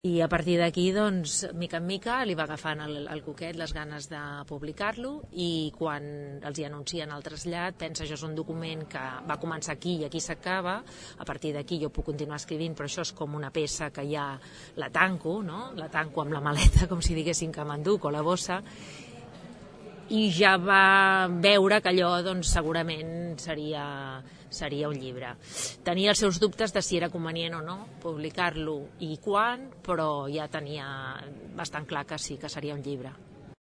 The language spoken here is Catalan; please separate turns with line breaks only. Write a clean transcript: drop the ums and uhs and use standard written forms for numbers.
I a partir d'aquí, doncs, mica en mica, li va agafant el coquet, les ganes de publicar-lo, i quan els hi anuncien el trasllat, pensa, això és un document que va començar aquí i aquí s'acaba, a partir d'aquí jo puc continuar escrivint, però això és com una peça que ja la tanco, no? La tanco amb la maleta, com si diguéssim que m'enduc, o la bossa, i ja va veure que allò doncs, segurament seria un llibre. Tenia els seus dubtes de si era convenient o no publicar-lo i quan, però ja tenia bastant clar que sí, que seria un llibre.